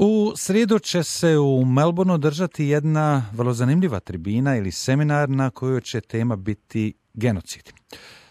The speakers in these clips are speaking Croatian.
U srijedu će se u Melbourneu držati jedna vrlo zanimljiva tribina ili seminar na kojoj će tema biti genocid.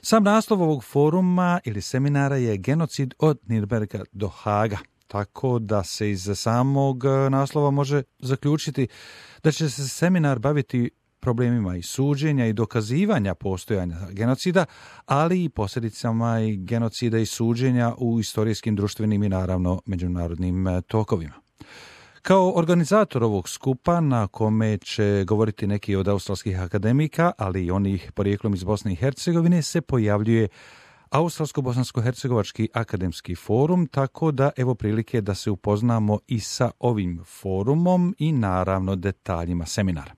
Sam naslov ovog foruma ili seminara je Genocid od Nürnberga do Haaga, tako da se iz samog naslova može zaključiti da će se seminar baviti problemima i suđenja i dokazivanja postojanja genocida, ali i posljedicama i genocida i suđenja u istorijskim, društvenim i naravno međunarodnim tokovima. Kao organizator ovog skupa na kome će govoriti neki od australskih akademika, ali i onih porijeklom iz Bosne i Hercegovine, se pojavljuje Australsko-bosansko-hercegovački akademski forum, tako da evo prilike da se upoznamo i sa ovim forumom i naravno detaljima seminara.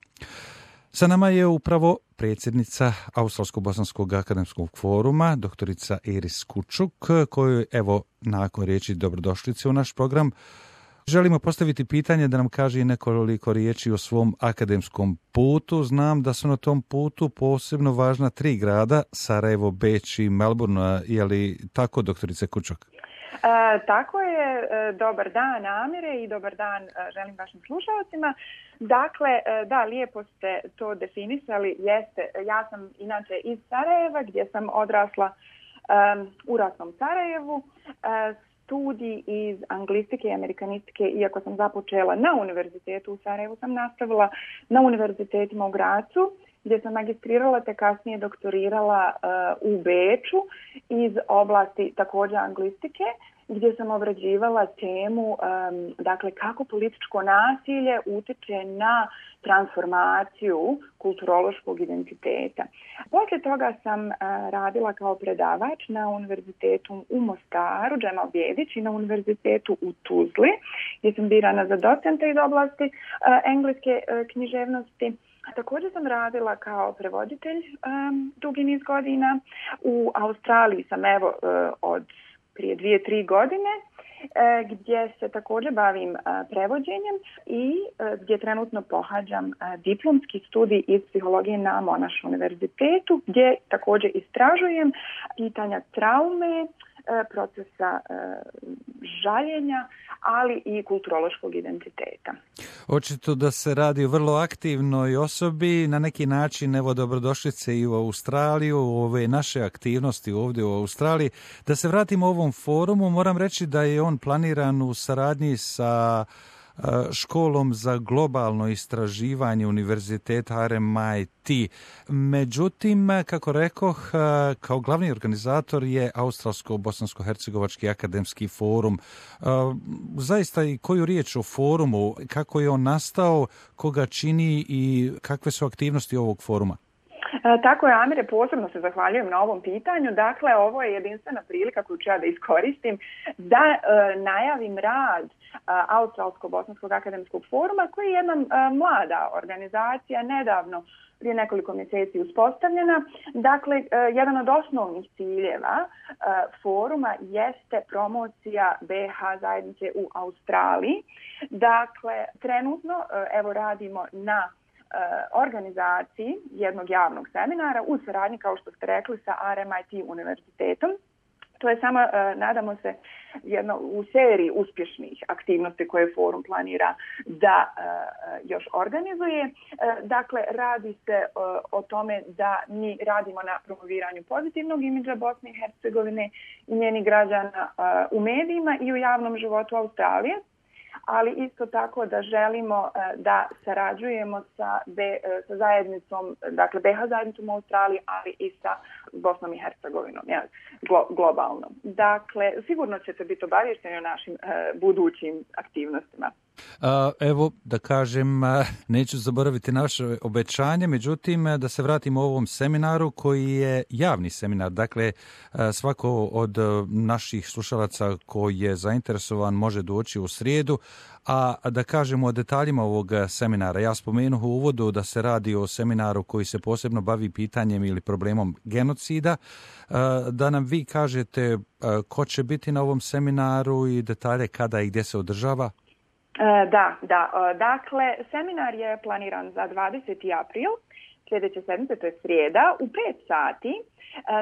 Sa nama je upravo predsjednica Australsko-bosanskog akademskog foruma, doktorica Iris Kučuk, koju evo nakon riječi dobrodošlice u naš program želimo postaviti pitanje da nam kaže nekoliko riječi o svom akademskom putu. Znam da su na tom putu posebno važna 3 grada, Sarajevo, Beč i Melbourne. Je li tako, doktorice Kučuk? Tako je. Dobar dan, Amire, i dobar dan želim vašim slušalcima. Dakle, da, lijepo ste to definisali. Jeste, ja sam inače iz Sarajeva, gdje sam odrasla u ratnom Sarajevu. Studij iz anglistike i amerikanistike, iako sam započela na univerzitetu u Sarajevu, sam nastavila na univerzitetima u Gracu, gdje sam magistrirala te kasnije doktorirala u Beču iz oblasti također anglistike, gdje sam obrađivala temu dakle kako političko nasilje utječe na transformaciju kulturološkog identiteta. Poslije toga sam radila kao predavač na univerzitetu u Mostaru, Džemal Bjedić, i na univerzitetu u Tuzli, gdje sam birana za docenta iz oblasti engleske književnosti. Također sam radila kao prevoditelj dugi niz godina. U Australiji sam evo od prije 2-3 godine, gdje se također bavim prevođenjem i gdje trenutno pohađam diplomski studij iz psihologije na Monash univerzitetu, gdje također istražujem pitanja traume, procesa žaljenja, ali i kulturološkog identiteta. Očito da se radi o vrlo aktivnoj osobi, na neki način evo dobrodošlice i u Australiju, u ove naše aktivnosti ovdje u Australiji. Da se vratimo ovom forumu, moram reći da je on planiran u saradnji sa školom za globalno istraživanje univerziteta RMIT. Međutim, kako rekoh, kao glavni organizator je Australsko-bosansko-hercegovački akademski forum. Zaista i koju riječ o forumu, kako je on nastao, koga čini i kakve su aktivnosti ovog foruma? Tako je, Amire, posebno se zahvaljujem na ovom pitanju. Dakle, ovo je jedinstvena prilika koju ću ja da iskoristim da najavim rad Australsko-bosanskog akademskog foruma, koji je jedna mlada organizacija, nedavno prije nekoliko mjeseci uspostavljena. Dakle, jedan od osnovnih ciljeva foruma jeste promocija BH zajednice u Australiji. Dakle, trenutno evo radimo na organizaciji jednog javnog seminara u saradnji, kao što ste rekli, sa RMIT univerzitetom. To je samo, nadamo se, jedno u seriji uspješnih aktivnosti koje forum planira da još organizuje. Dakle, radi se o tome da mi radimo na promoviranju pozitivnog imidža Bosne i Hercegovine i njenih građana u medijima i u javnom životu Australije, ali isto tako da želimo da sarađujemo sa zajednicom, dakle BH zajednicom u Australiji, ali i sa Bosnom i Hercegovinom, globalno. Dakle, sigurno ćete biti obavješteni o našim budućim aktivnostima. Evo, da kažem, neću zaboraviti naše obećanje, međutim, da se vratimo ovom seminaru koji je javni seminar. Dakle, svako od naših slušalaca koji je zainteresovan može doći u srijedu, a da kažemo o detaljima ovog seminara. Ja spomenuh u uvodu da se radi o seminaru koji se posebno bavi pitanjem ili problemom genocida. Da nam vi kažete ko će biti na ovom seminaru i detalje kada i gdje se održava? Da. Dakle, seminar je planiran za 20. april, sljedeće sedmice, to je srijeda, u 5 sati.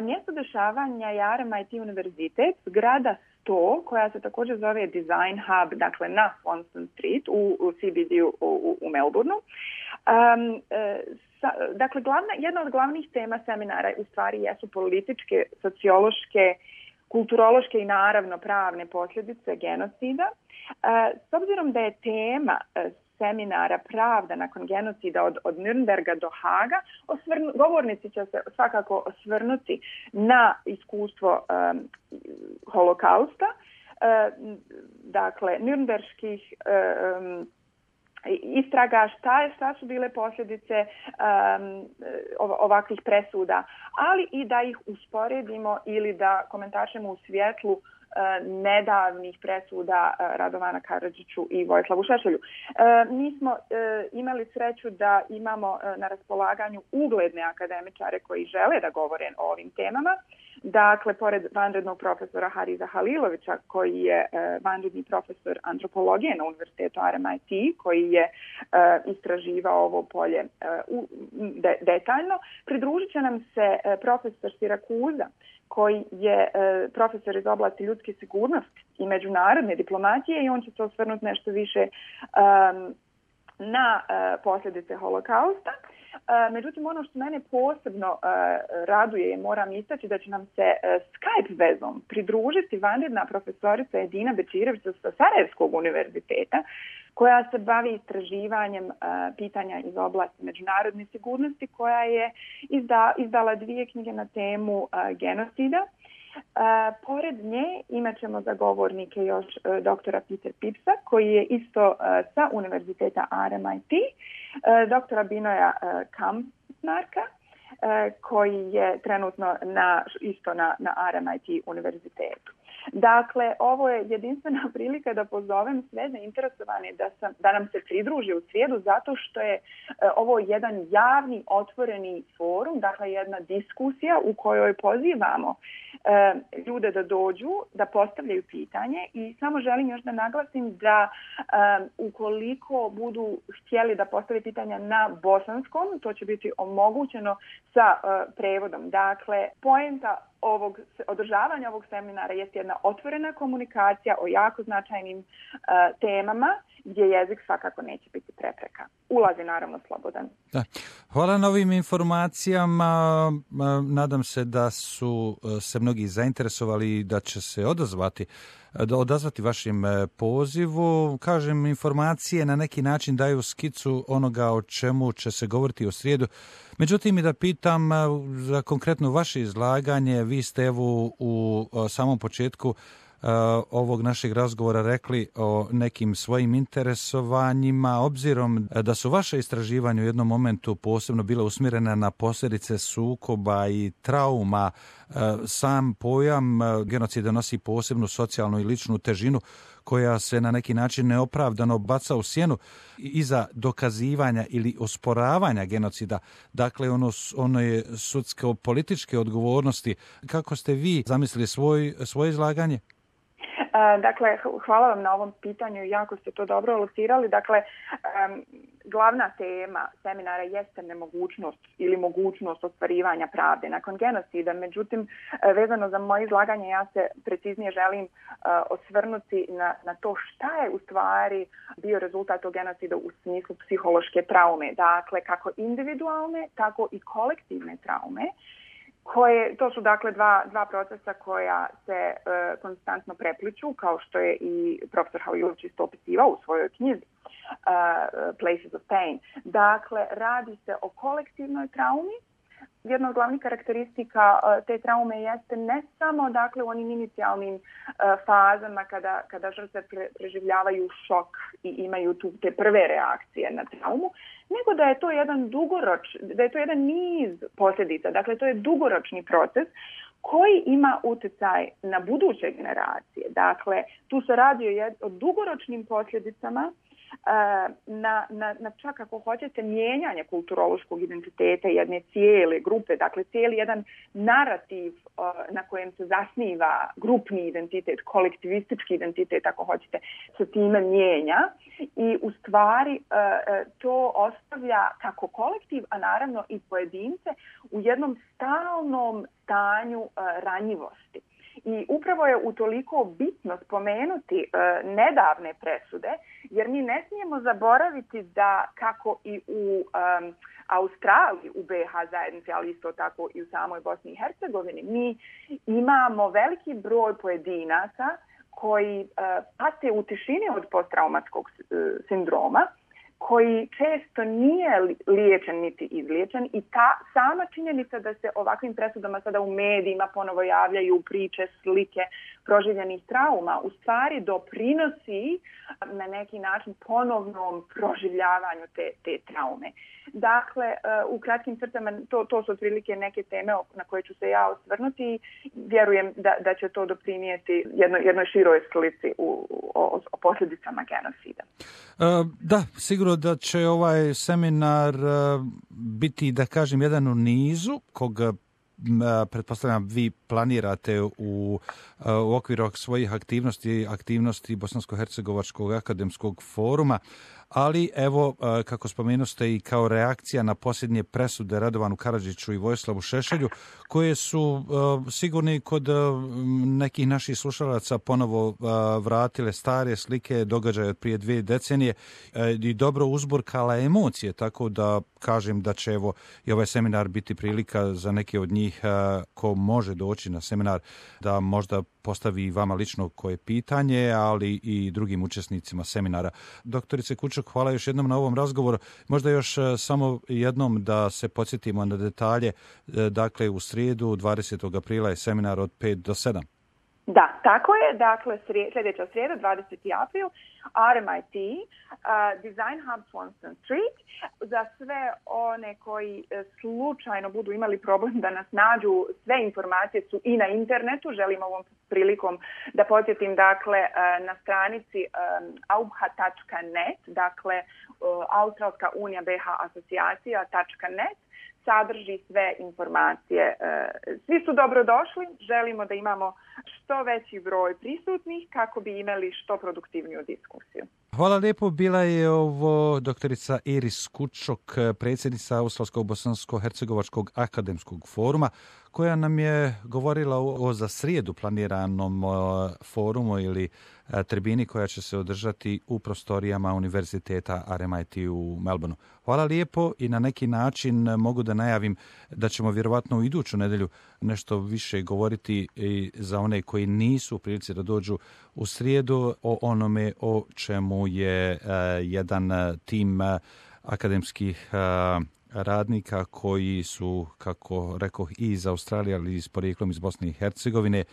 Mjesto dešavanja je RMIT univerzitet, zgrada 100 koja se također zove Design Hub, dakle na Swanston Street u CBD-u u Melbourneu. Dakle, jedna od glavnih tema seminara u stvari jesu političke, sociološke, kulturološke i naravno pravne posljedice genocida. S obzirom da je tema seminara Pravda nakon genocida od Nürnberga do Haga, govornici će se svakako osvrnuti na iskustvo holokausta, dakle Nürnberških istraga, šta su bile posljedice ovakvih presuda, ali i da ih usporedimo ili da komentarišemo u svjetlu nedavnih presuda Radovana Karadžiću i Vojislavu Šešelju. Mi smo imali sreću da imamo na raspolaganju ugledne akademičare koji žele da govore o ovim temama. Dakle, pored vanrednog profesora Hariza Halilovića, koji je vanredni profesor antropologije na Univerzitetu RMIT, koji je istraživao ovo polje detaljno, pridružit će nam se profesor Sirakuza, koji je profesor iz oblasti ljudske sigurnosti i međunarodne diplomatije i on će se osvrnuti nešto više na posljedice holokausta. Međutim, ono što mene posebno raduje i moram istaći da će nam se Skype vezom pridružiti vanredna profesorica Edina Bečirević sa Sarajevskog univerziteta, koja se bavi istraživanjem pitanja iz oblasti međunarodne sigurnosti, koja je izdala 2 knjige na temu genocida. Pored nje imat ćemo za govornike još doktora Peter Pipsa, koji je isto sa univerziteta RMIT, doktora Binoja Kampnarka, koji je trenutno isto na RMIT univerzitetu. Dakle, ovo je jedinstvena prilika da pozovem sve zainteresovane da nam se pridruže u srijedu, zato što je ovo jedan javni, otvoreni forum, dakle jedna diskusija u kojoj pozivamo ljude da dođu, da postavljaju pitanje i samo želim još da naglasim da ukoliko budu htjeli da postave pitanja na bosanskom, to će biti omogućeno sa prevodom. Dakle, poenta održavanja ovog seminara je jedna otvorena komunikacija o jako značajnim temama gdje jezik svakako neće biti prepreka. Ulaz je naravno slobodan. Da. Hvala na ovim informacijama. Nadam se da su se mnogi zainteresovali i da će se odazvati vašim pozivu. Kažem, informacije na neki način daju skicu onoga o čemu će se govoriti u srijedu. Međutim, i da pitam za konkretno vaše izlaganje, vi ste evo u samom početku ovog našeg razgovora rekli o nekim svojim interesovanjima, obzirom da su vaše istraživanja u jednom momentu posebno bile usmjerena na posljedice sukoba i trauma. Sam pojam genocida nosi posebnu socijalnu i ličnu težinu koja se na neki način neopravdano baca u sjenu iza dokazivanja ili osporavanja genocida. Dakle, ono je sudsko-političke odgovornosti. Kako ste vi zamislili svoje izlaganje? Dakle, hvala vam na ovom pitanju, jako ste to dobro locirali. Dakle, glavna tema seminara jeste nemogućnost ili mogućnost ostvarivanja pravde nakon genocida. Međutim, vezano za moje izlaganje, ja se preciznije želim osvrnuti na to šta je u stvari bio rezultat tog genocida u smislu psihološke traume. Dakle, kako individualne, tako i kolektivne traume. To su dakle dva procesa koja se konstantno prepliču, kao što je i profesor Halilović isto opisivao u svojoj knjizi Places of Pain. Dakle, radi se o kolektivnoj traumi. Jedna od glavnih karakteristika te traume jeste ne samo dakle u onim inicijalnim fazama kada žrtve preživljavaju šok i imaju te prve reakcije na traumu, nego da je to jedan niz posljedica. Dakle, to je dugoročni proces koji ima utjecaj na buduće generacije. Dakle, tu se radi o dugoročnim posljedicama na čak ako hoćete mijenjanje kulturološkog identiteta jedne cijele grupe, dakle cijeli jedan narativ na kojem se zasniva grupni identitet, kolektivistički identitet ako hoćete, se time mijenja i u stvari to ostavlja kako kolektiv, a naravno i pojedince u jednom stalnom stanju ranjivosti. I upravo je utoliko bitno spomenuti nedavne presude, jer mi ne smijemo zaboraviti da kako i u Australiji, u BiH zajednici, ali isto tako i u samoj Bosni i Hercegovini, mi imamo veliki broj pojedinaca koji pate u tišini od posttraumatskog sindroma, koji često nije liječen niti izliječen i ta sama činjenica da se ovakvim presudama sada u medijima ponovo javljaju priče, slike proživljenih trauma, u stvari doprinosi na neki način ponovnom proživljavanju te traume. Dakle, u kratkim crtama to su otprilike neke teme na koje ću se ja osvrnuti. Vjerujem da će to doprinijeti jednoj široj slici o posljedicama genocida. Da, sigurno da će ovaj seminar biti, da kažem, jedan u nizu koga pretpostavljam vi planirate u okviru svojih aktivnosti Bosansko-hercegovačkog akademskog foruma, ali evo, kako spomenuste, i kao reakcija na posljednje presude Radovanu Karadžiću i Vojislavu Šešelju, koje su sigurni kod nekih naših slušalaca ponovo vratile stare slike događaja od prije 2 decenije i dobro uzburkala emocije, tako da kažem da će evo i ovaj seminar biti prilika za neke od njih ko može doći na seminar da možda postavi vama lično koje pitanje, ali i drugim učesnicima seminara. Doktorice Kučok, hvala još jednom na ovom razgovoru. Možda još samo jednom da se podsjetimo na detalje. Dakle, u srijedu 20. aprila je seminar od 5 do 7. Da, tako je. Dakle, sljedeća srijeda, 20. april, RMIT, Design Hub Swanston Street. Za sve one koji slučajno budu imali problem da nas nađu, sve informacije su i na internetu. Želim ovom prilikom da podsjetim, dakle, na stranici aubha.net, dakle, Australska unija BiH asocijacija.net, sadrži sve informacije. Svi su dobrodošli. Želimo da imamo što veći broj prisutnih kako bi imali što produktivniju diskusiju. Hvala lijepo. Bila je ovo doktorica Iris Kučok, predsjednica Australsko-bosansko-hercegovačkog akademskog foruma, koja nam je govorila o za srijedu planiranom forumu ili tribini koja će se održati u prostorijama Univerziteta RMIT u Melbourneu. Hvala lijepo i na neki način mogu da najavim da ćemo vjerovatno u iduću nedjelju nešto više govoriti i za one koji nisu u prilici da dođu u srijedu o onome o čemu je jedan tim akademskih radnika koji su, kako rekoh, i iz Australije, ali i s porijeklom iz Bosne i Hercegovine,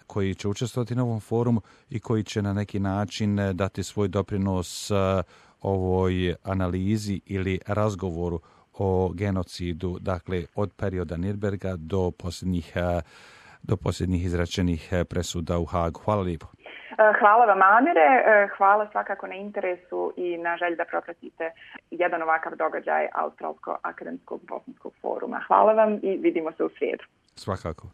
koji će učestvovati na ovom forumu i koji će na neki način dati svoj doprinos ovoj analizi ili razgovoru o genocidu, dakle od perioda Nürnberga do posljednjih izrečenih presuda u Hagu. Hvala lijepo. Hvala vam, Amire. Hvala svakako na interesu i na želji da propratite jedan ovakav događaj Australsko-akademskog bosanskog foruma. Hvala vam i vidimo se u srijedu. Svakako.